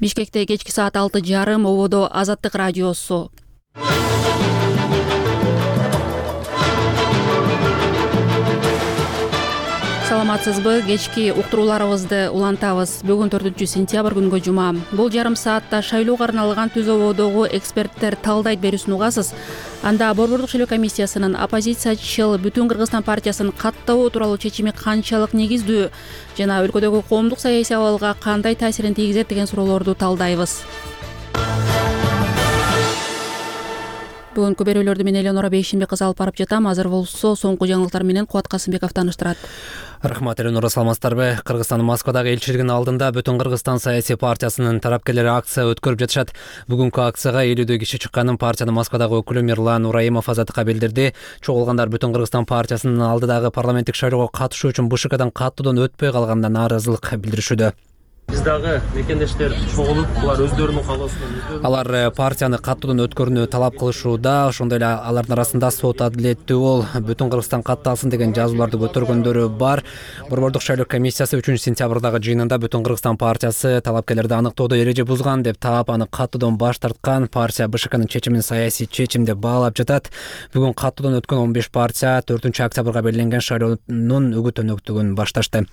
Бишкекте кечки саат 6:30 ободо Азаттык радиосу. Саламатсызбы? Кечки уктурууларыбызды улантабыз. Бүгүн 4-сентябрь күнгө жума. Бул жарым саатта шайлоого арналган Түз ободогу эксперттер талдайт берүүсүн угасыз. Анда Борбордук шайлоо комиссиясынын оппозициячыл Бүтүн Кыргызстан партиясын каттоо тууралуу чечими канчалык негиздүү жана өлкөдөгү коомдук саясий абалга кандай таасирин тийгизет деген суроолорду талдайбыз. Бүгүнкү берүүлөрдү мен Элеонора Бейшимбек кызы алып барып жатам. Азыр болсо соңку жаңылыктар менен Кубат Касымбеков тааныштырат. Рахмат, Элеонора, саламатсыздарбы? Кыргызстандын Москвадагы элчилигинин алдында Бүтүн Кыргызстан саясий партиясынын тарапкерлери акция өткөрүп жатышат. Бүгүнкү акцияга 50 киши чыкканын партиянын Москвадагы өкүлү Мирлан Ураимов Азаттыкка билдирди. Чогулгандар Бүтүн Кыргызстан партиясынын алдыдагы парламенттик шайлоого катышуу үчүн БШКдан каттоодон өтпөй калганына нааразылык билдиришүүдө. Биз дагы мекендештер чогулуп, булар өздөрүнүн каалоосунан Алар партияны каттоодон өткөрүүнү талап кылышууда. Ошондой эле алардын арасында сот адилеттүү бол Бүтүн Кыргызстан катталсын деген жазууларды көтөргөндөрү бар. Борбордук шайлоо комиссиясы 3-сентябрдагы жыйынында Бүтүн Кыргызстан партиясы талапкерлерди аныктоодо эреже бузган деп таап, аны каттоодон баш тарткан. Партия БШКнын чечимин саясий чечим деп баалап жатат. Бүгүн каттоодон өткөн 15 партия 4-октябрга белгиленген шайлоонун үгүт өнөктүгүн башташты.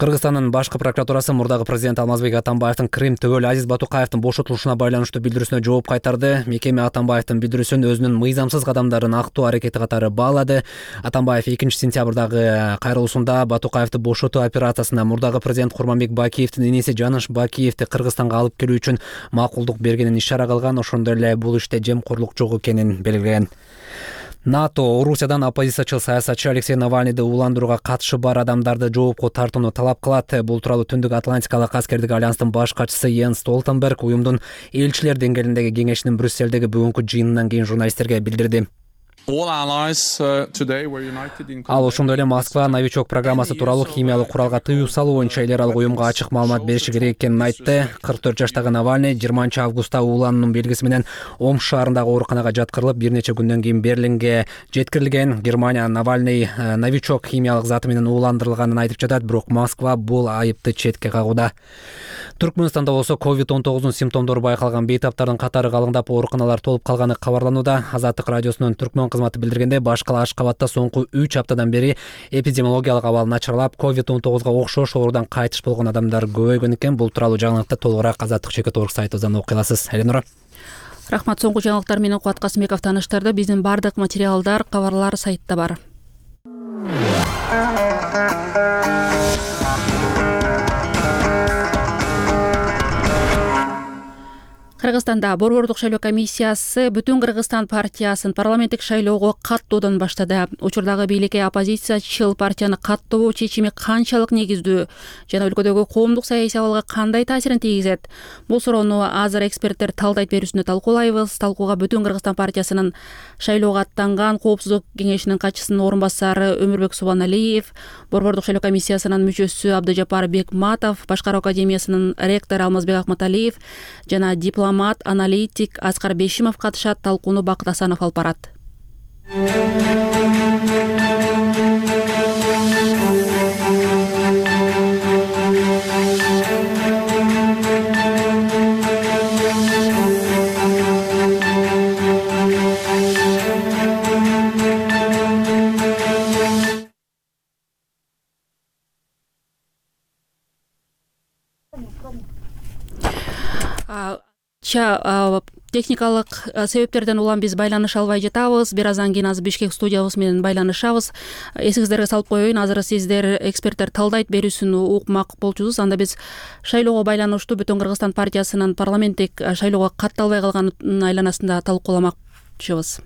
Кыргызстандын башкы прокуратурасы мурдагы президент Алмазбек Атамбаевдин Крым төгөл Азиз Батукаевдин бошотулушуна байланыштуу билдирүүсүнө жооп кайтарды. Мекеме Атамбаевдин билдирүүсүн өзүнүн мыйзамсыз кадамдарын актоо аракети катары баалады. Атамбаев 2-сентябрдагы кайрылуусунда Батукаевди бошотуу операциясына мурдагы президент Курманбек Бакиевдин иниси Жаныш Бакиевди Кыргызстанга алып келүү үчүн макулдук бергенин ишара кылган. Ошондой эле бул иште жемкорлук жок экенин белгилеген. НАТО Орусиядан оппозициячыл саясатчы Алексей Навальныйды ууландырууга катышы бар адамдарды жоопко тартууну талап кылат. Бул тууралуу Түндүк Атлантикалык аскердик альянстын баш катчысы Йенс Столтенберг уюмдун элчилер деңгээлиндеги кеңешинин Брюссельдеги бүгүнкү жыйынынан кийин журналисттерге билдирди. Ал ошондой эле Москва новичок программасы тууралуу химиялык куралга тыюу салуу боюнча эл аралык уюмга ачык маалымат бериши керек экенин айтты. 44 жаштагы Навальный 20-августта уулануунун белгиси менен Омск шаарындагы ооруканага жаткырылып, бир нече күндөн кийин Берлинге жеткирилген. Германия Навальный новичок химиялык заты менен ууландырылганын айтып жатат, бирок Москва бул айыпты четке кагууда. Түркмөнстанда болсо COVID-19 симптомдору байкалган бейтаптардын катары калыңдап, ооруканалар толуп калганы кабарланууда. Азаттык радиосунун Түркмөн кызматы билдиргенде, башкала Ашкабадта соңку 3 аптадан бери эпидемиологиялык абал начарлап, COVID-19 окшош оорудан кайтыш болгон адамдар көбөйгөн экен. Бул тууралуу жаңылыкты толугураак Азаттык Чекет.орг сайтыбыздан окуй аласыз. Элеонора. Рахмат, соңку жаңылыктар менен Кубат Касымбеков тааныштырды. Биздин бардык материалдар, кабарлар сайтта бар. Кыргызстанда Борбордук шайлоо комиссиясы Бүтүн Кыргызстан партиясын парламенттик шайлоого каттоодон баштады. Учурдагы бийликке оппозициячыл партияны каттоо чечими канчалык негиздүү жана өлкөдөгү коомдук саясий абалга кандай таасирин тийгизет? Бул суроону азыр эксперттер талдайт берүүсүндө талкуулайбыз. Талкууга Бүтүн Кыргызстан партиясынын шайлоого аттанган коопсуздук кеңешинин катчысынын орун басары Өмүрбек Субаналиев, Борбордук шайлоо комиссиясынын мүчөсү Абдыжапар Бекматов, Башкаруу академиясынын ректору Алмазбек Акматалиев жана аналитик Аскар Бешимов катышат. Талкууну Бакыт Асанов алып барат. Техникалык себептерден улам биз байланыша албай жатабыз. Бир аздан кийин азыр Бишкек студиябыз менен байланышабыз. Эсиңиздерге салып коеюн, азыр сиздер эксперттер талдайт берүүсүн укмак болчусуз. Анда биз шайлоого байланыштуу Бүтүн Кыргызстан партиясынын парламенттик шайлоого катталбай калганын айланасында талкууламакчыбыз.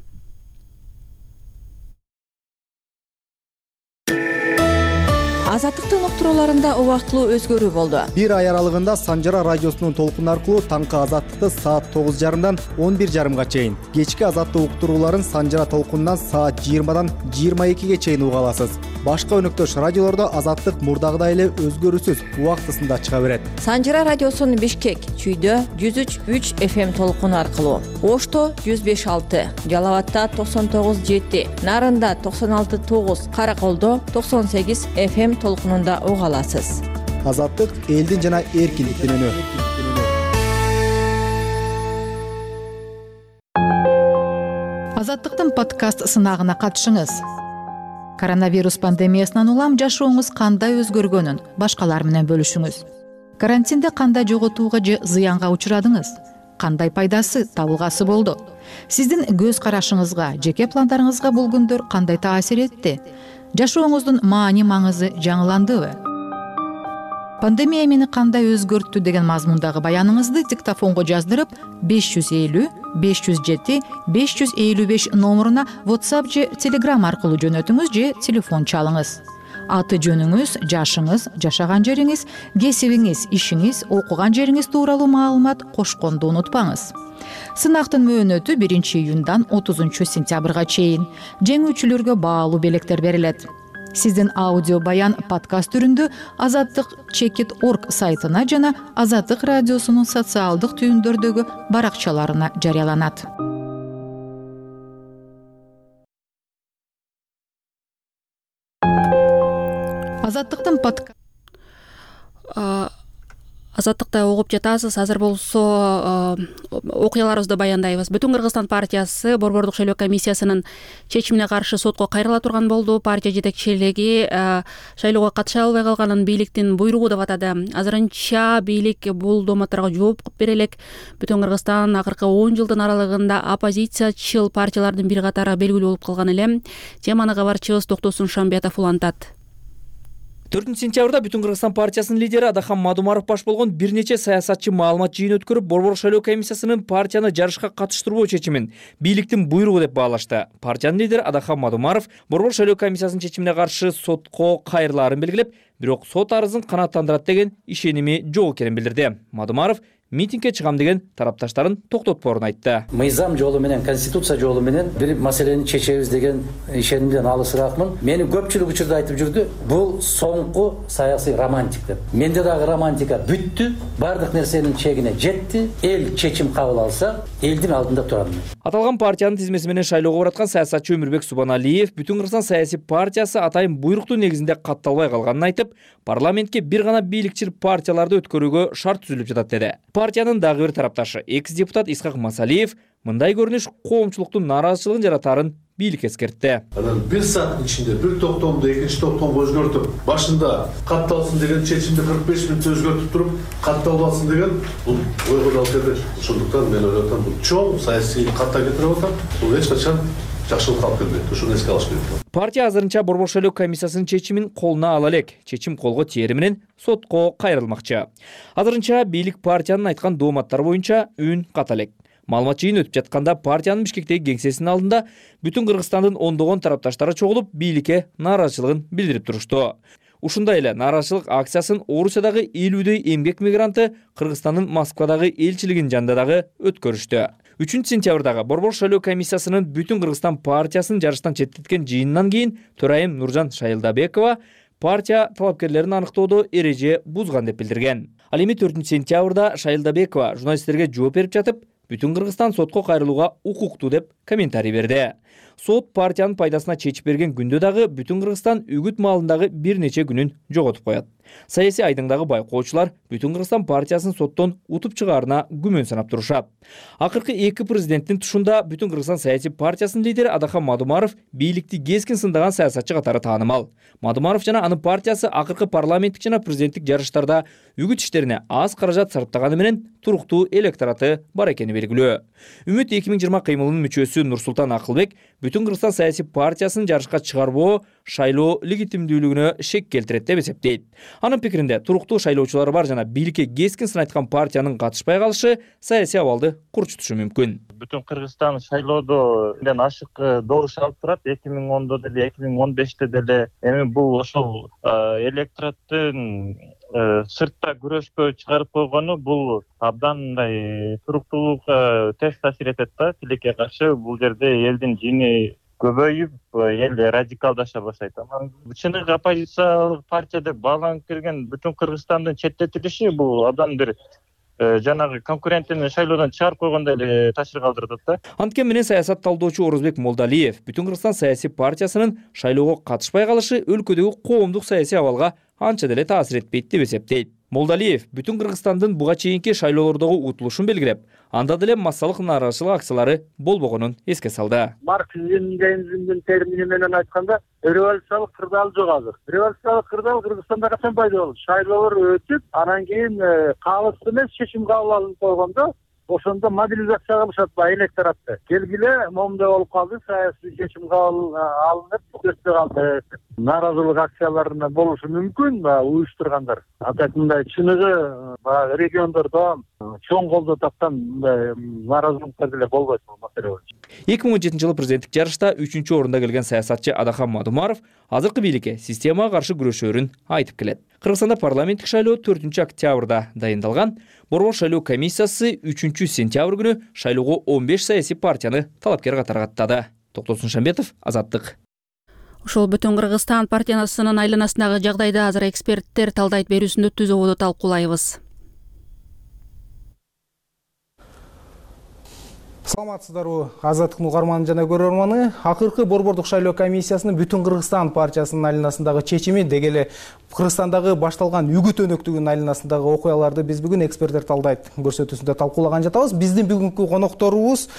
Азаттыктын уктурууларында убактылуу өзгөрүү болду. Бир ай аралыгында Санжара радиосунун толкуну аркылуу таңкы Азаттыкты саат 9:30дан 11:30га чейин, кечки Азаттык уктурууларын Санжара толкунунан саат 20дан 22ге чейин уга аласыз. Башка өнөктөш радиолордо Азаттык мурдагыдай эле өзгөрүүсүз убактысында чыга берет. Санжара радиосунун Бишкек, Чүйдө 103.3 FM толкуну аркылуу, Ошто 105.6, Жалал Абадта 99.7, Нарында 96.9, Караколдо 98 FM толкунунда уга аласыз. Азаттык элдин жана эркиндиктин үнү. Азаттыктын подкаст сынагына катышыңыз. Коронавирус пандемиясынан улам жашооңуз кандай өзгөргөнүн башкалар менен бөлүшүңүз. Карантинде кандай жоготууга же зыянга учурадыңыз? Кандай пайдасы, табылгасы болду? Сиздин көз карашыңызга, жеке пландарыңызга бул күндөр кандай таасир этти? Жашооңуздун маани-маңызы жаңыландыбы? Пандемия мени кандай өзгөрттү деген мазмундагы баяныңызды диктофонго жаздырып 550 507 555 номуруна WhatsApp же Telegram аркылуу жөнөтүңүз же телефон чалыңыз. Аты жөнүңүз, жашыңыз, жашаган жериңиз, кесибиңиз, ишиңиз, окуган жериңиз тууралуу маалымат кошконду унутпаңыз. Сынактын мөөнөтү 1-июндан 30-сентябрга чейин. Жеңүүчүлөргө баалуу белектер берилет. Сиздин аудио баян подкаст түрүндө azattik.org сайтына жана Азаттык радиосунун социалдык түйүндөрдөгү баракчаларына жарыяланат. Азаттыкта угуп жатасыз. Азыр болсо окуяларыбызды баяндайбыз. Бүтүн Кыргызстан партиясы Борбордук шайлоо комиссиясынын чечимине каршы сотко кайрыла турган болду. Партия жетекчилиги шайлоого катыша албай калганын бийликтин буйругу деп атады. Азырынча бийлик бул дооматтарга жооп бере элек. Бүтүн Кыргызстан акыркы 10 жылдын аралыгында оппозициячыл партиялардын бир катары белгилүү болуп калган эле. Теманы кабарчыбыз Токтосун Шамбиятов улантат. 4-сентябрда Бүтүн Кыргызстан партиясынын лидери Адахан Мадумаров баш болгон бир нече саясатчы маалымат жыйын өткөрүп, Борбордук шайлоо комиссиясынын партияны жарышка катыштырбоо чечимин бийликтин буйругу деп баалашты. Партиянын лидери Адахан Мадумаров Борбордук шайлоо комиссиясынын чечимине каршы сотко кайрылаарын белгилеп, бирок сот арызын канааттандырат деген ишеними жок экенин билдирди. Мадумаров митингге чыгам деген тарапташтарын токтотпоорун айтты. Мыйзам жолу менен, конституция жолу менен бир маселени чечебиз деген ишенимден алысыраакмын. Мени көпчүлүк учурда айтып жүрдү, бул соңку саясий романтик деп. Менде дагы романтика бүттү, бардык нерсенин чегине жетти. Эл чечим кабыл алса, элдин алдында турам. Аталган партиянын тизмеси менен шайлоого бараткан саясатчы Өмүрбек Субаналиев Бүтүн Кыргызстан саясий партиясы атайын буйруктун негизинде катталбай калганын айтып, парламентке бир гана бийликчил партияларды өткөрүүгө шарт түзүлүп жатат деди. Партиянын дагы бир тарапташы экс-депутат Исхак Масалиев мындай көрүнүш коомчулуктун нааразычылыгын жаратаарын бийлик эскертти. Анан бир сааттын ичинде бир токтомду экинчи токтомго өзгөртүп, башында катталсын деген чечимди 45 мүнөттө өзгөртүп туруп, катталбасын деген бул ойго дал келбейт. Ошондуктан мен ойлоп атам, бул чоң саясий катта кетирип атам. Бул эч качан жакшылык алып келбейт. Ошону эске алыш керек. Партия азырынча Борбордук шайлоо комиссиясынын чечимин колуна ала элек. Чечим колго тиери менен сотко кайрылмакчы. Азырынча бийлик партиянын айткан дооматтары боюнча үн ката элек. Маалымат жыйын өтүп жатканда партиянын Бишкектеги кеңсесинин алдында Бүтүн Кыргызстандын ондогон тарапташтары чогулуп бийликке нааразычылыгын билдирип турушту. Ушундай эле нааразычылык акциясын Орусиядагы 50дөй эмгек мигранты Кыргызстандын Москвадагы элчилигинин жанында дагы өткөрүштү. 3-сентябрдагы Борбордук шайлоо комиссиясынын Бүтүн Кыргызстан партиясын жарыштан четтеткен жыйынынан кийин төрайым Нуржан Шайылдабекова партия талапкерлерин аныктоодо эреже бузган деп билдирген. Ал эми 4-сентябрда Шайылдабекова журналисттерге жооп берип жатып, Бүтүн Кыргызстан сотко кайрылууга укуктуу деп комментарий берди. Сот партиянын пайдасына чечип берген күндө дагы Бүтүн Кыргызстан үгүт маалындагы бир нече күнүн жоготуп коет. Саясий айдыңдагы байкоочулар Бүтүн Кыргызстан партиясын соттон утуп чыгаарына күмөн санап турушат. Акыркы эки президенттин тушунда Бүтүн Кыргызстан саясий партиясынын лидери Адахан Мадумаров бийликти кескин сындаган саясатчы катары таанымал. Мадумаров жана анын партиясы акыркы парламенттик жана президенттик жарыштарда үгүт иштерине аз каражат сарптаганы менен туруктуу электораты бар экени белгилүү. Үмүт 2020 кыймылынын мүчөсү Нурсултан Акылбек Бүтүн Кыргызстан саясий партиясын жарышка чыгарбоо шайлоо легитимдүүлүгүнө шек келтирет деп эсептейт. Анын пикиринде туруктуу шайлоочулары бар жана бийликке кескин сын айткан партиянын катышпай калышы саясий абалды курчутушу мүмкүн. Бүтүн Кыргызстан шайлоодо ашык добуш алып турат. 2010-до деле, 2015-те деле. Эми бул ошол электораттын сыртта күрөшкө чыгарып койгону бул абдан мындай туруктуулукка терс таасир этет да. Тилекке каршы бул жерде элдин жини көбөйүп, эл радикалдаша баштайт. Чыныгы оппозициялык партия деп бааланып келген Бүтүн Кыргызстандын четтетилиши бул абдан бир жанагы конкурентин шайлоодон чыгарып койгондой эле таасир калтырат да. Анткени менен саясат талдоочу Орозбек Молдалиев Бүтүн Кыргызстан саясий партиясынын шайлоого катышпай калышы өлкөдөгү коомдук саясий абалга анча деле таасир этпейт деп эсептейт. Молдалиев бүтүн Кыргызстандын буга чейинки шайлоолордогу утулушун белгилеп, анда деле массалык нааразычылык акциялары болбогонун эске салды. Марксизм-ленинизмдин термини менен айтканда революциялык кырдаал жок азыр. Революциялык кырдаал Кыргызстанда качан пайда болду? Шайлоолор өтүп, анан кийин калыс эмес чечим кабыл алынып койгондо, ошондо мобилизация кылышат электоратты. Келгиле, момундай болуп калды, саясий чечим кабыл алынып, өтпөй калды. Нааразылык акцияларына болушу мүмкүн, уюштургандар. Атак мындай чыныгы региондордо чоң колдоо тапкан мындай нааразылыктар деле болбойт бул маселе боюнча. 2017 жылы президенттик жарышта 3-орунда келген саясатчы Адахан Мадумаров азыркы бийликке системага каршы күрөшөөрүн айтып келет. Кыргызстанда парламенттик шайлоо 4-октябрда дайындалган. Борбор шайлоо комиссиясы 3-сентябрь күнү шайлоого 15 саясий партияны талапкер катары каттады. Токтосун Шамбетов, Азаттык. Ушул Бүтүн Кыргызстан партиясынын айланасындагы жагдайды азыр эксперттер талдайт берүүсүндө түзүүгө талкуулайбыз. Саламатсыздарбы, Азаттыктын угарманы жана көрөрманы. Акыркы борбордук шайлоо комиссиясынын Бүтүн Кыргызстан партиясынын айланасындагы чечими деги эле Кыргызстандагы башталган үгүт өнөктүгүнүн айланасындагы окуяларды биз бүгүн эксперттер талдайт көрсөтүүсүндө талкуулаган жатабыз. Биздин бүгүнкү конокторубуз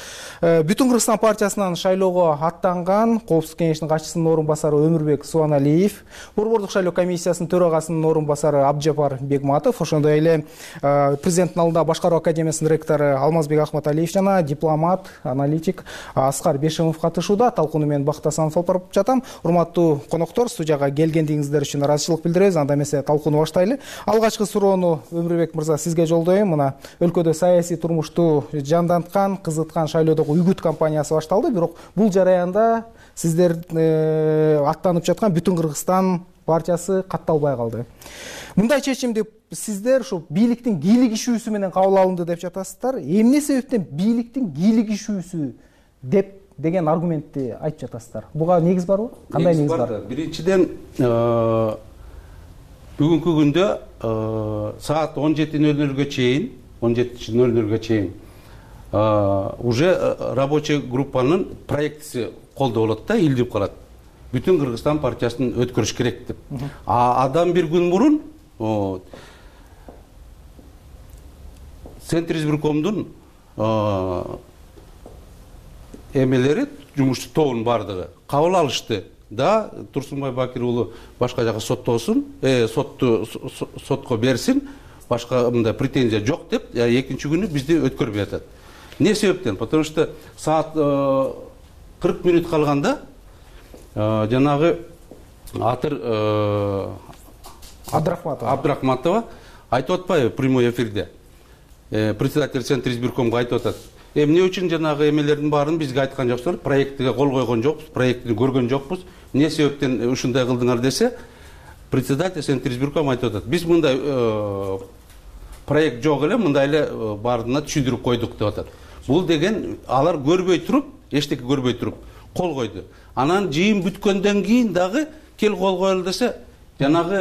Бүтүн Кыргызстан партиясынан шайлоого аттанган Коопсуздук кеңешинин катчысынын орун басары Өмүрбек Субаналиев, борбордук шайлоо комиссиясынын төрагасынын орун басары Абджапар Бегматов, ошондой эле президенттин алдында башкаруу академиясынын ректору Алмазбек Ахматалиев жана дипломат, аналитик Аскар Бешимов катышууда. Талкууну мен Бакыт Асанов алып барып жатам. Урматтуу коноктор, студияга келгендигиңиздер үчүн ыраазычылык билдиребиз. Анда эмесе талкууну баштайлы. Алгачкы суроону Өмүрбек мырза сизге жолдойм. Мына өлкөдө саясий турмушту жанданткан, кызыткан шайлоодогу үгүт кампаниясы башталды. Бирок бул жараянда сиздер аттанып жаткан Бүтүн Кыргызстан партиясы катталбай калды. Мындай чечимди сиздер ушу бийликтин кийлигишүүсү менен кабыл алынды деп жатасыздар. Эмне себептен бийликтин кийлигишүүсү деген аргументти айтып жатасыздар? Буга негиз барбы? Кандай негиз бар? Биринчиден, бүгүнкү күндө саат 17:00 чейин уже рабочий группанын проектиси колдо болот да, илдип калат. Бүтүн Кыргызстан партиясын өткөрүш керек деп. Адам бир күн мурун Центр избиркомдун эмелери, жумуш тобунун бардыгы кабыл алышты да, Турсунбай Бакир уулу башка жака соттосун, сотко берсин, башка мындай претензия жок деп, экинчи күнү бизди өткөрбөй атат. Не себептен? Потому что саат 40 минут калганда жанагы Атыр Абдрахматова айтып атпайбы прямой эфирде? Председатель Центр избиркомго айтып атат. Эмне үчүн жанагы эмелердин баарын бизге айткан жоксуңар? Проектиге кол койгон жокпуз, проектти көргөн жокпуз. Эмне себептен ушундай кылдыңар десе, председатель Центр избирком айтып атат. Биз мындай проект жок эле, мындай эле баардыгына түшүндүрүп койдук деп атат. Бул деген алар көрбөй туруп, эчтеке көрбөй туруп кол койду. Анан жыйын бүткөндөн кийин дагы кел кол коелу десе, жанагы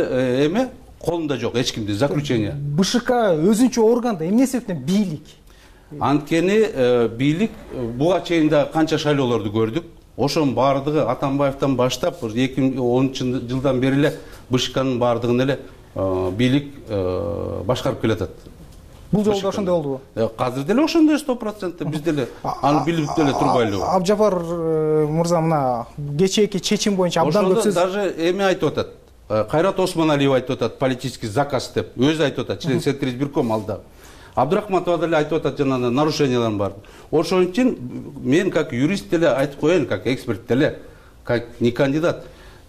эме колунда жок, эч кимде заключение. БШК өзүнчө орган да эмне себептен бийлик? Анткени бийлик буга чейин да канча шайлоолорду көрдүк. Ошонун баардыгы Атамбаевден баштап 2010 жылдан бери эле БШКнын баардыгын эле бийлик башкарып келатат. Бул жолу да ошондой болдубу? Азыр деле ошондой 100%, биз деле аны билип деле турбайлыбы. Абджапар мырза, мына кечээки чечим боюнча абдан көп сөз. Даже эме айтып атат. Кайрат Осмоналиев айтып атат, политический заказ деп. Өзү айтып атат, член Центр избирком алда. Абдрахматова деле айтып атат, жана нарушениялар бар. Ошон үчүн мен как юрист деле айтып коеюн, как эксперт деле, как не кандидат.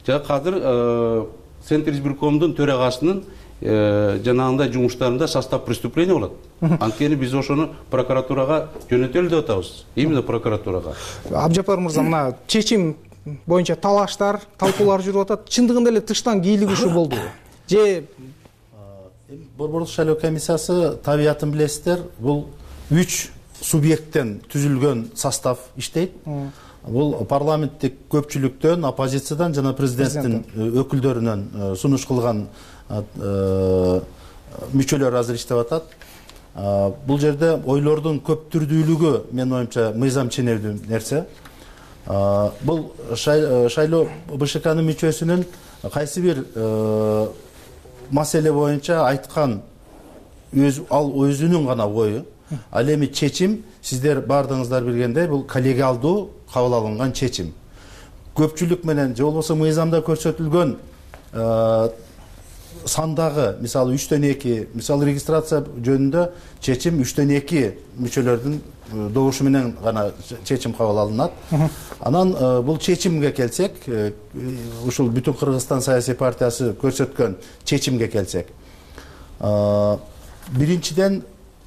Азыр Центр избиркомдун төрагасынын жанагындай жумуштарында состав преступления болот. Анткени биз ошону прокуратурага жөнөтөлү деп атабыз. Именно прокуратурага. Абджапар мырза, мына чечим боюнча талаштар, талкуулар жүрүп атат. Чындыгында эле тыштан кийлигишүү болду. Же борбордук шайлоо комиссиясы табиятын билесиздер, бул 3 субъекттен түзүлгөн состав иштейт. Бул парламенттик көпчүлүктөн, оппозициядан жана президенттин өкүлдөрүнөн сунуш кылган мүчөлөр азыр иштеп атат. Бул жерде ойлордун көп түрдүүлүгү менин оюмча мыйзам ченемдүү нерсе. Бул шайлоо БШКнын мүчөсүнүн кайсы бир маселе боюнча айткан ал өзүнүн гана ою. Ал эми чечим сиздер бардыгыңыздар билгендей бул коллегиалдуу кабыл алынган чечим. Көпчүлүк менен же болбосо мыйзамда көрсөтүлгөн сандагы мисалы 3/2, мисалы регистрация жөнүндө чечим 3/2 мүчөлөрдүн добушу менен гана чечим кабыл алынат. Анан бул чечимге келсек, ушул Бүтүн Кыргызстан саясий партиясы көрсөткөн чечимге келсек, биринчиден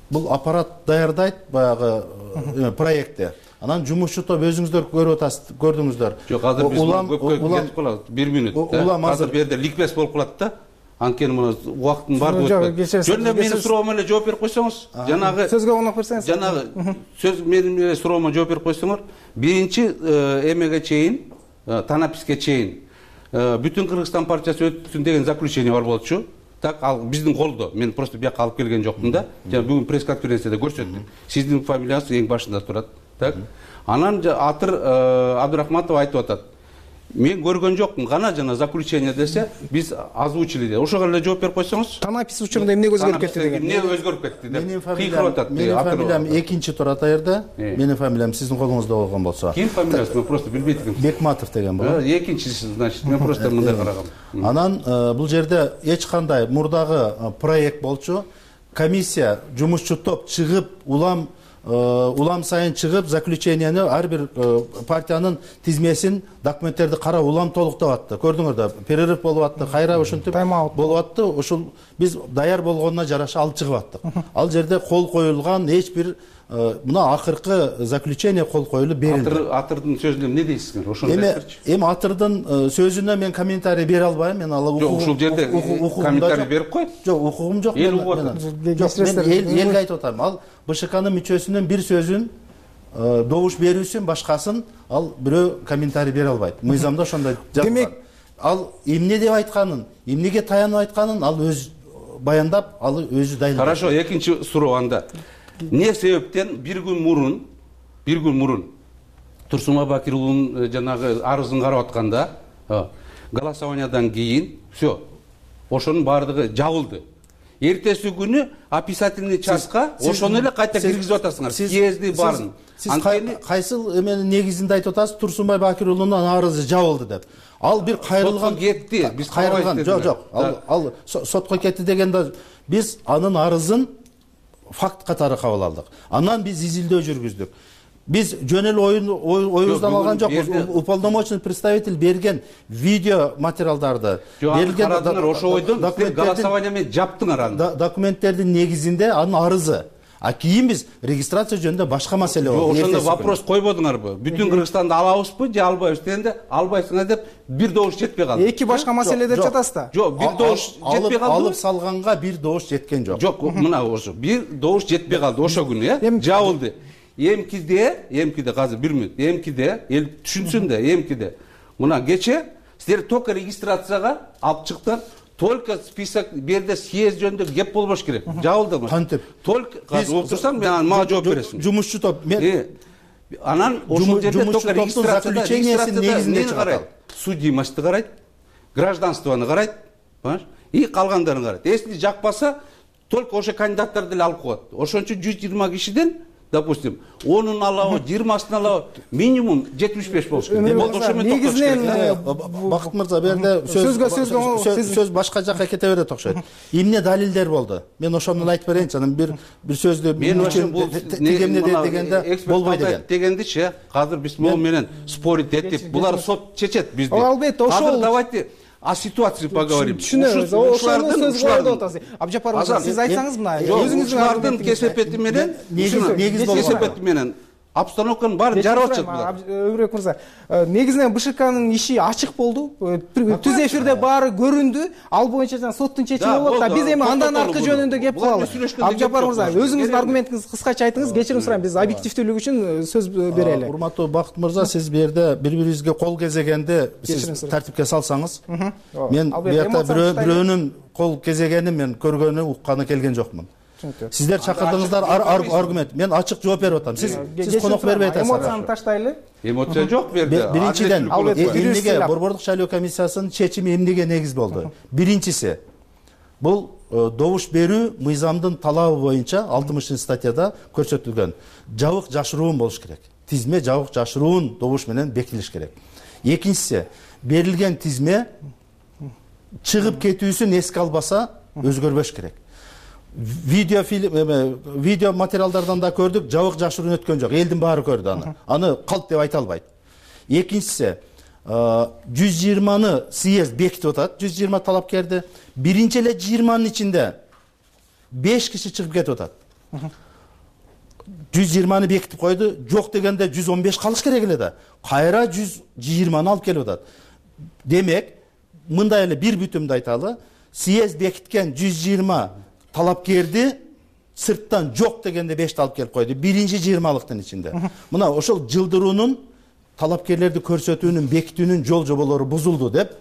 бул аппарат даярдайт баягы проектти. Анан жумушчу топ өзүңүздөр көрүп атасыздар, көрдүңүздөр. Жок, азыр биз көпкө кетип калабыз. 1 минут. Азыр бу жерде ликбез болуп калат да. Анткени мына убакыттын баардыгы өтүп. Жөн эле менин суроомо эле жооп берип койсоңуз, жанагы сөзгө коноп берсеңиз. Жанагы сөз менин эле суроомо жооп берип койсоңор, биринчи эмеге чейин, танаписке чейин Бүтүн Кыргызстан партиясы өтсүн деген заключение бар болчу. Так, ал биздин колдо. Мен просто бияка алып келген жокмун да. Жана бүгүн пресс-конференцияда көрсөттүк. Сиздин фамилияңыз эң башында турат. Так. Анан Атыр Абдурахматов айтып атат. Мен көргөн жокмун, гана жана заключение десе, биз озвучили де. Ошого эле жооп берип койсоңуз. Танапис учурунда эмне өзгөрүп кетти деген. Эмне өзгөрүп кетти деп. Менин фамилиям экинчи турат аерде. Менин фамилиям сиздин колуңузда болгон болсо. Ким фамилиясы? Мен просто билбейт экенмин. Бекматов деген болот. Экинчиси, значит, мен просто мындай карагам. Анан бул жерде эч кандай мурдагы проект болчу. Комиссия, жумушчу топ чыгып, улам сайын чыгып, заключениени ар бир партиянын тизмесин, документтерди карап улам толуктап атты. Көрдүңөр да, перерыв болуп атты, кайра ушинтип болуп атты. Ушул биз даяр болгонуна жараша алып чыгып аттык. Ал жерде кол коюлган эч бир мына акыркы заключение кол коюлуп берилди. Атырдын сөзүнө эмне дейсиздер? Ошону айтыңызчы. Эми Атырдын сөзүнө мен комментарий бере албайм. Мен ала ушул жерде комментарий берип кой. Жок, укугум жок. Мен элге айтып атам. Ал БШКнын мүчөсүнүн бир сөзүн добуш берүүсүн, башкасын ал бирөө комментарий бере албайт. Мыйзамда ошондой жазылган. Демек, ал эмне деп айтканын, эмнеге таянып айтканын ал өз баяндап, ал өзү дайындап. Хорошо, экинчи суроо анда. Не себептен бир күн мурун Турсунбай Бакир уулунун жанагы арызын карап атканда, голосованиядан кийин все, ошонун баардыгы жабылды. Эртеси күнү описательный частка ошону эле кайта киргизип атасыңар. Съезди барын. Сиз кайсыл эменин негизинде айтып атасыз, Турсунбай Бакир уулунун арызы жабылды деп. Ал бир кайрылган кетти. Биз кайрылган. Жок. Ал сотко кетти дегенде биз анын арызын факт катары кабыл алдык. Анан биз изилдөө жүргүздүк. Биз жөн эле оюбуздан алган жокпуз. Уполномоченный представитель берген видео материалдарды берилген ошо ойдон голосование менен жаптыңар аны. Документтердин негизинде анын арызы. А кийин биз регистрация жөнүндө башка маселе болду. Ошондо вопрос койбодуңарбы? Бүтүн Кыргызстанды алабызбы же албайбыз дегенде, албайсыңар деп бир добуш жетпей калды. Эки башка маселе деп жатасыз да? Жок, бир добуш жетпей калды. Алып салганга бир добуш жеткен жок. Жок, мына ошо бир добуш жетпей калды ошо күнү, жабылды. Эмкиде азыр 1 минут. Эмкиде эл түшүнсүн да, эмкиде. Мына кече силер только регистрацияга алып чыктыңар. Только список берде съезд жөнүндө кеп болбош керек. Жабылдымы? Кантип? Только азыр отурсаң, мен мага жооп бересиң. Жумушчу топ. Анан ошол жерде только регистрацияда негизинде карайт. Судимошту карайт, гражданствону карайт, понимаешь? И калгандарын карайт. Если жакпаса, только ошо кандидаттарды эле алып коет. Ошон үчүн 120 кишиден, допустим, 10-ун алабы, 20-сын алабы, минимум 75 болуш керек. Негизинен Бакыт мырза, берде сөз башка жакка кете берет окшойт. Эмне далилдер болду? Мен ошону айтып берейинчи, анан бир сөздү мен ошон бул тегемне дегенде болбой деген. Дегендичи, азыр биз могу менен спорить этип, булар сот чечет бизди. Албетте, ошол. Азыр давайте о ситуации поговорим. Түшүнөбүз. Ошону сөз кылып атасыз. Абжапар мырза, сиз айтсаңыз мына, өзүңүздүн кесепети менен, кесепети менен обстановканын баарын жарып атышат булар. Өбүрөк мырза, негизинен БШКнын иши ачык болду. Түз эфирде баары көрүндү. Ал боюнча жана соттун чечими болот да. Биз эми андан аркы жөнүндө кеп калалы. Абжапар мырза, өзүңүздүн аргументиңизди кыскача айтыңыз. Кечирим сурайм, биз объективдүүлүк үчүн сөз берели. Урматтуу Бакыт мырза, сиз бу жерде бири-бирибизге кол кезегенди сиз тартипке салсаңыз. Мен буякта бирөөнүн кол кезегенин мен көргөнү, укканы келген жокмун. Сиздер чакырдыңыздар аргумент. Мен ачык жооп берип атам. Сиз конок бербей атасыз. Эмоцияны таштайлы. Эмоция жок берди. Биринчиден, эмнеге Борбордук шайлоо комиссиясынын чечими эмнеге негиз болду? Биринчиси, бул добуш берүү мыйзамдын талабы боюнча 60 статьяда көрсөтүлгөн жабык жашыруун болуш керек. Тизме жабык жашыруун добуш менен бекитилиш керек. Экинчиси, берилген тизме чыгып кетүүсүн эске албаса өзгөрбөш керек. Видео материалдардан да көрдүк, жабык жашыруун өткөн жок. Элдин баары көрдү аны. Аны калп деп айта албайт. Экинчиси, 120-ны съезд бекитип атат, 120 талапкерди. Биринчи эле 20-нын ичинде 5 киши чыгып кетип атат. 120-ны бекитип койду, жок дегенде 115 калыш керек эле да. Кайра 120-ны алып келип атат. Демек, мындай эле бир бүтүмдү айталы, съезд бекиткен 120 талапкерди сырттан жок дегенде 5 алып келип койду. Биринчи 20-лыктын ичинде. Мына ошол жылдыруунун талапкерлерди көрсөтүүнүн, бекитүүнүн жол жоболору бузулду деп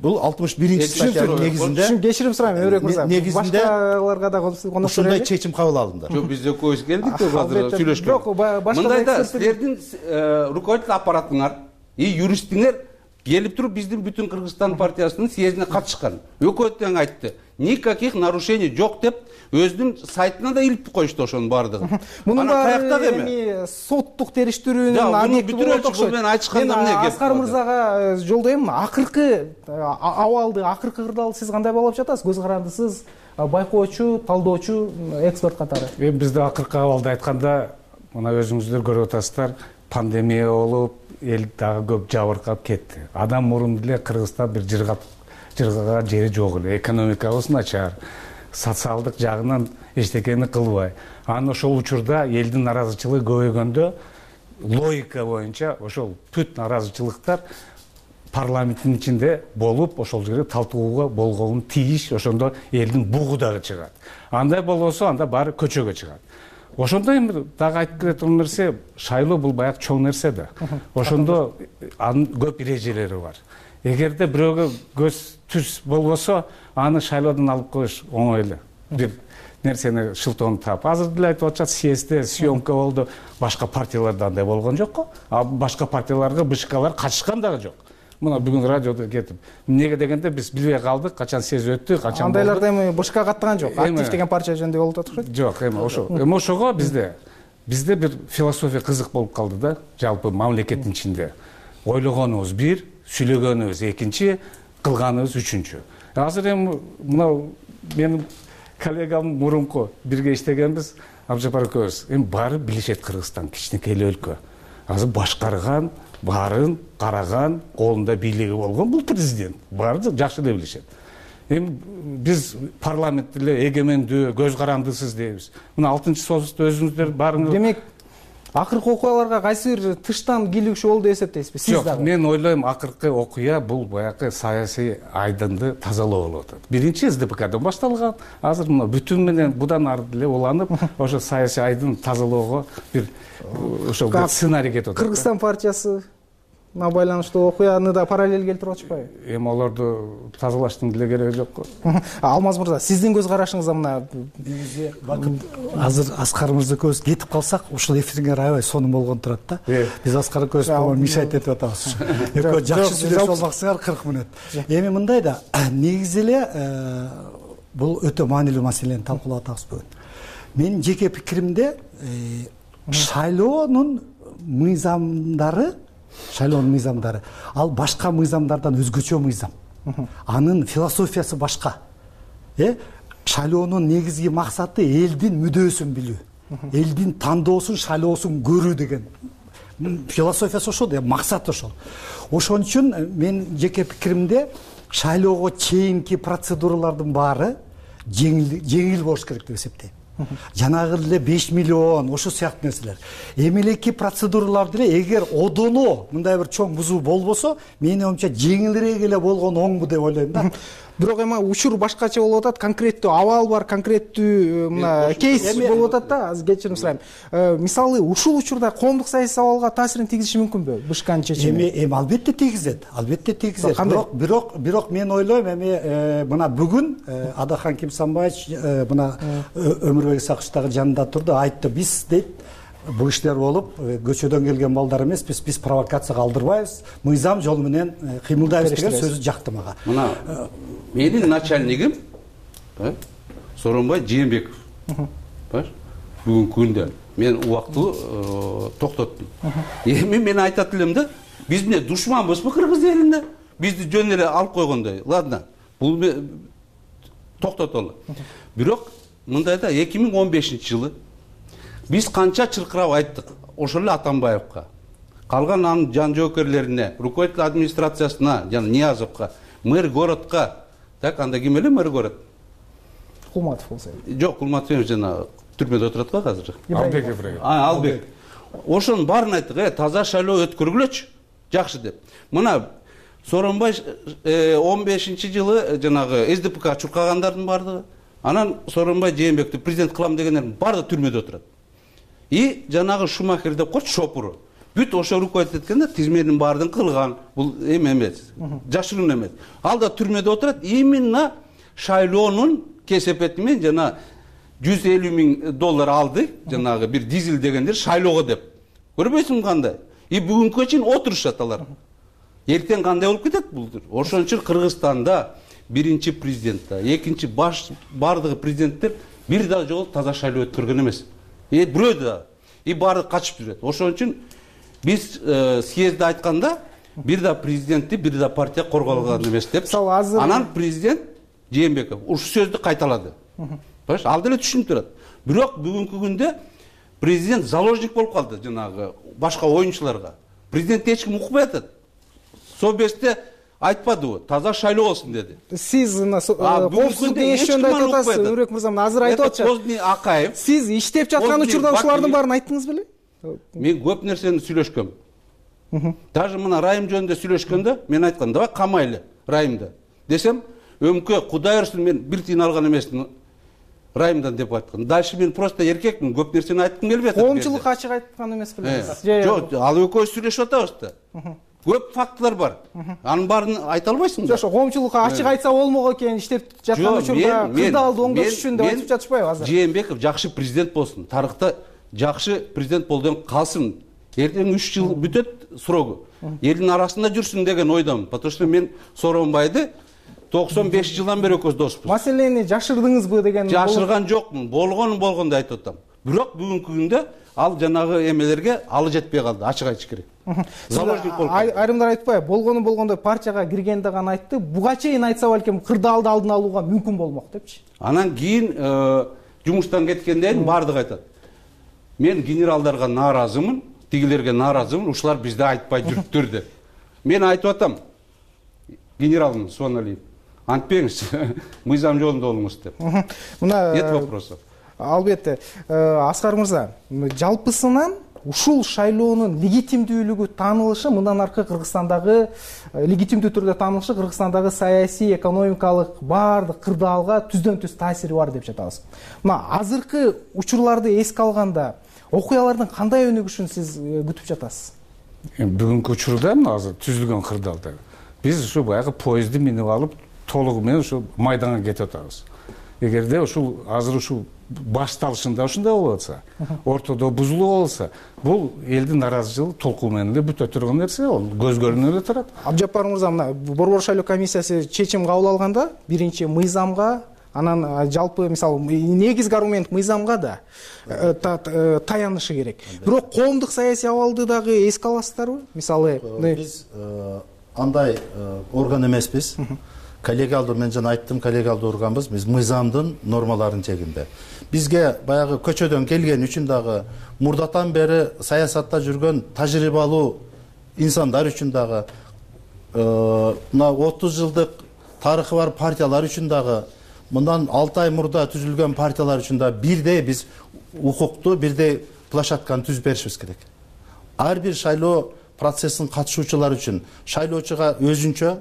бул 61 статьянын негизинде кечирим сурайм, Өрөк мырза. Башкаларга да ошондой чечим кабыл алынды. Жок, биз экөөбүз келдик деп азыр сүйлөшкөн. Мындай да, силердин руководитель аппаратыңар и юристиңер келип туруп биздин бүтүн Кыргызстан партиясынын съездине катышкан. Өкмөт тең айтты. Никаких нарушений жок деп өзүнүн сайтына да илип коюшту ошонун баардыгын. Мунун баары эми соттук териштирүүнүн объекти болот окшойт. Мен айтышканда эмне кеп? Аскар мырзага жолдойм. Акыркы абалды, акыркы кырдаалды сиз кандай баалап жатасыз? Көз карандысыз, байкоочу, талдоочу, эксперт катары. Эми бизде акыркы абалды айтканда, мына өзүңүздөр көрүп атасыздар, пандемия болуп, эл дагы көп жабыркап кетти. Адам мурун эле Кыргызстан бир жыргаган жери жок эле. Экономикабыз начар, социалдык жагынан эчтекени кылбай. Анан ошол учурда элдин наразычылыгы көбөйгөндө логика боюнча ошол бүт наразычылыктар парламенттин ичинде болуп, ошол жерде талтууга болгону тийиш, ошондо элдин бугу дагы чыгат. Андай болбосо анда баары көчөгө чыгат. Ошондо эми дагы айтып келе турган нерсе, шайлоо бул баягы чоң нерсе да. Ошондо анын көп эрежелери бар. Эгерде бирөөгө көз түз болбосо, аны шайлоодон алып коюш оңой эле. Бир нерсени шылтоону таап. Азыр деле айтып атышат, съездде съемка болду, башка партияларда андай болгон жок го. А башка партияларга БШКлар катышкан дагы жок. Мына бүгүн радиодо кетип. Эмнеге дегенде биз билбей калдык, качан съезд өттү, качан. Андайларда эми БШК каттаган жок. Актив деген партия жөнүндө болуп атышат. Жок, эми ошо. Эми ошого бизде бир философия кызык болуп калды да, жалпы мамлекеттин ичинде. Ойлогонубуз бир, сүйлөгөнүбүз экинчи, кылганыбыз үчүнчү. Азыр эми мына менин коллегам мурунку бирге иштегенбиз, Абжапар экөөбүз. Эми баары билишет Кыргызстан кичинекей эле өлкө. Азыр башкарган, баарын караган, колунда бийлиги болгон бул президент. Баары жакшы эле билишет. Эми биз парламент эле эгемендүү, көз карандысыз дейбиз. Мына 6-союзду өзүңүздөр баарыңыз. Демек, акыркы окуяларга кайсы бир тыштан кийлигишүү болду деп эсептейсизби сиз дагы? Мен ойлойм, акыркы окуя бул баягы саясий айдынды тазалоо болуп атат. Биринчи СДПКдан башталган, азыр мына бүтүн менен будан ары деле уланып, ошо саясий айдын тазалоого бир ошо сценарий кетип атат. Кыргызстан партиясы байланыштуу окуяны да параллель келтирип атышпайбы? Эми аларды тазалаштын деле кереги жок го. Алмаз мырза, сиздин көз карашыңызда мына азыр Аскар мырза экөөбүз кетип калсак, ушул эфирге аябай сонун болгон турат да. Биз Аскар экөөбүз мешать этип атабыз. Экөө жакшы сүйлөшүп албаксыңар 40 мүнөт. Эми мындай да, негизи эле бул өтө маанилүү маселени талкуулап атабыз бүгүн. Менин жеке пикиримде шайлоонун мыйзамдары ал башка мыйзамдардан өзгөчө мыйзам. Анын философиясы башка. Шайлоонун негизги максаты элдин мүдөөсүн билүү, элдин тандоосун, шайлоосун көрүү деген философиясы ошол, максаты ошол. Ошон үчүн мен жеке пикиримде шайлоого чейинки процедуралардын баары жеңил болуш керек деп эсептейм. Жанагы эле 5 миллион ошо сыяктуу нерселер. Эмелеки процедуралар деле эгер одоно мындай бир чоң бузуу болбосо, менин оюмча жеңилирээк эле болгон оңбу деп ойлойм да. Бирок эми учур башкача болуп атат, конкреттүү абал бар, конкреттүү мына кейс болуп атат да. Азыр кечирим сурайм. Мисалы, ушул учурда коомдук саясий абалга таасирин тийгизиши мүмкүнбү? БШКнын чечими. Эми албетте тийгизет. Бирок мен ойлойм, эми мына бүгүн Адахан Кимсанбаевич мына Өмүрбек Исаковичтагы жанында турду, айтты, биз дейт бул иштер болуп, көчөдөн келген балдар эмес, биз провокацияга алдырбайбыз, мыйзам жолу менен кыймылдайбыз деген сөзү жакты мага. Мына менин начальнигим Сооронбай Жээнбеков. Бүгүнкү күндө мен убактылуу токтоттум. Эми мен айтат элем да, биз эмне душманбызбы кыргыз элинде? Бизди жөн эле алып койгондой. Ладно, бул токтотолу. Бирок мындай да 2015-жылы биз канча чыркырап айттык ошол эле Атамбаевка, калган анын жан жоокерлерине, руководитель администрациясына, жана Ниязовго, мэр городко. Так, анда ким эле мэр город? Кулматов болсо. Жок, Кулматов жана түрмөдө отурат го азыр. Албек Ибраев. Албек. Ошонун баарын айттык, таза шайлоо өткөргүлөчү, жакшы деп. Мына Сооронбай 15-жылы жанагы СДПК чуркагандардын бардыгы, анан Сооронбай Жээнбекти президент кылам дегендердин баары түрмөдө отурат. И жанагы Шумахер деп койчу, шопуру. Бүт ошо руководить эткенде тизменин баардын кылган. Бул эмес, жашыруун эмес. Ал да түрмөдө отурат. Именно шайлоонун кесепети менен жана $150 000 алды, жанагы бир дизель дегендер шайлоого деп. Көрбөйсүңбү кандай? И бүгүнкү чейин отурушат алар. Эртең кандай болуп кетет бул? Ошон үчүн Кыргызстанда биринчи президент да, экинчи бардыгы президенттер бир да жолу таза шайлоо өткөргөн эмес. Бирөө да. И баары качып жүрөт. Ошон үчүн биз съездде айтканда бир да президентти, бир да партия корголгон эмес деп. Анан президент Жээнбеков ушу сөздү кайталады. Ал деле түшүнүп турат. Бирок бүгүнкү күндө президент заложник болуп калды жанагы башка оюнчуларга. Президент эч ким укпай атат. Собесте айтпадыбы, таза шайлоо болсун деди. Сиз коопсуздук кеңеши жөнүндө айтып атасыз, Өмүрбек мырза, азыр айтып атат. Сиз иштеп жаткан учурда ушулардын баарын айттыңыз беле? Мен көп нерсени сүйлөшкөм. Даже мына райым жөнүндө сүйлөшкөндө мен айткам, давай камайлы райымда. Десем, өмкө Кудай ырсын, мен бир тиын алган эмесмин райымдан деп айткан. Дальше мен просто эркекмин, көп нерсени айткым келбей атат. Коомчулук ачык айткан эмес белеңиз? Жок, ал экөөбүз сүйлөшүп атабыз да. Көп фактылар бар. Анын баарын айта албайсың да. Жок, коомчулукка ачык айтса болмок экен, иштеп жаткан учурда кырдаалды оңдош үчүн деп айтып жатышпайбы азыр? Жээнбеков жакшы президент болсун. Тарыхта жакшы президент болдон калсын. Эртең 3 жыл бүтөт срогу. Элдин арасында жүрсүн деген ойдомун. Потому что мен Сооронбайды 95 жылдан бери экөөбүз доспуз. Маселени жашырдыңызбы деген? Жашырган жокмун. Болгондо айтып атам. Бирок бүгүнкү күндө ал жанагы эмелерге алы жетпей калды, ачык айтыш керек. Заложник болуп калды. Айрымдар айтпайбы, болгондо партияга киргенде гана айтты, буга чейин айтса балким кырдаалды алдын алууга мүмкүн болмок депчи. Анан кийин жумуштан кеткенден бардыгы айтат. Мен генералдарга нааразымын, тигилерге нааразымын, ушулар бизде айтпай жүрүптүр деп. Мен айтып атам, генералмын Суаналиев. Антпеңиз, мыйзам жолунда болуңуз деп. Нет вопросов. Албетте, Аскар мырза, жалпысынан ушул шайлоонун легитимдүүлүгү таанылышы, мындан аркы Кыргызстандагы легитимдүү түрдө таанылышы Кыргызстандагы саясий, экономикалык баардык кырдаалга түздөн-түз таасири бар деп жатабыз. Мына азыркы учурларды эске алганда окуялардын кандай өнүгүшүн сиз күтүп жатасыз? Бүгүнкү учурда азыр түзүлгөн кырдаалда биз ушу баягы поездди минип алып толугу менен ушу майданга кетип атабыз. Эгерде ушул азыр ушул башталышында ушундай болуп атса, ортодо бузулуу болсо, бул элдин нааразычылык толкуу менен эле бүтө турган нерсе, ал көз көрүнүп эле турат. Абжапар мырза, мына Борбор шайлоо комиссиясы чечим кабыл алганда, биринчи мыйзамга, анан жалпы мисалы негизги аргумент мыйзамга да таянышы керек. Бирок коомдук саясий абалды дагы эске аласыздарбы? Мисалы биз андай орган эмеспиз. Коллегиалдуу, мен жана айттым, коллегиалдуу органбыз, биз мыйзамдын нормаларын чегинде. Бизге баягы көчөдөн келген үчүн дагы мурдатан бери саясатта жүргөн тажрыйбалуу инсандар үчүн дагы мына 30 жылдык тарыхы бар партиялар үчүн дагы мындан 6 ай мурда түзүлгөн партиялар үчүн да бирдей биз укукту, бирдей площадканы түзүп беришибиз керек. Ар бир шайлоо процессин катышуучулары үчүн шайлоочуга өзүнчө,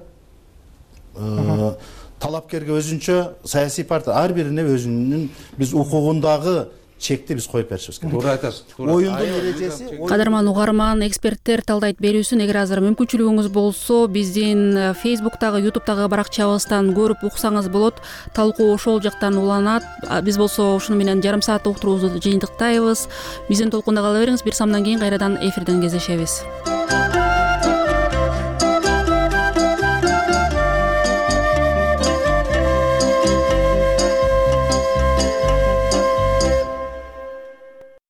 талапкерге өзүнчө, саясий партия ар бирине өзүнүн биз укугундагы чекти биз коюп беришибиз керек. Туура айтасыз. Оюндун эрежеси. Кадырман угарман, эксперттер талдайт берүүсүн эгер азыр мүмкүнчүлүгүңүз болсо, биздин Facebook'тагы, YouTube'тагы баракчабыздан көрүп уксаңыз болот. Талкуу ошол жактан уланат. Биз болсо ушуну менен жарым саат уктуруубузду жыйынтыктайбыз. Биздин толкунда кала бериңиз. Бир самдан кийин кайрадан эфирден кездешебиз.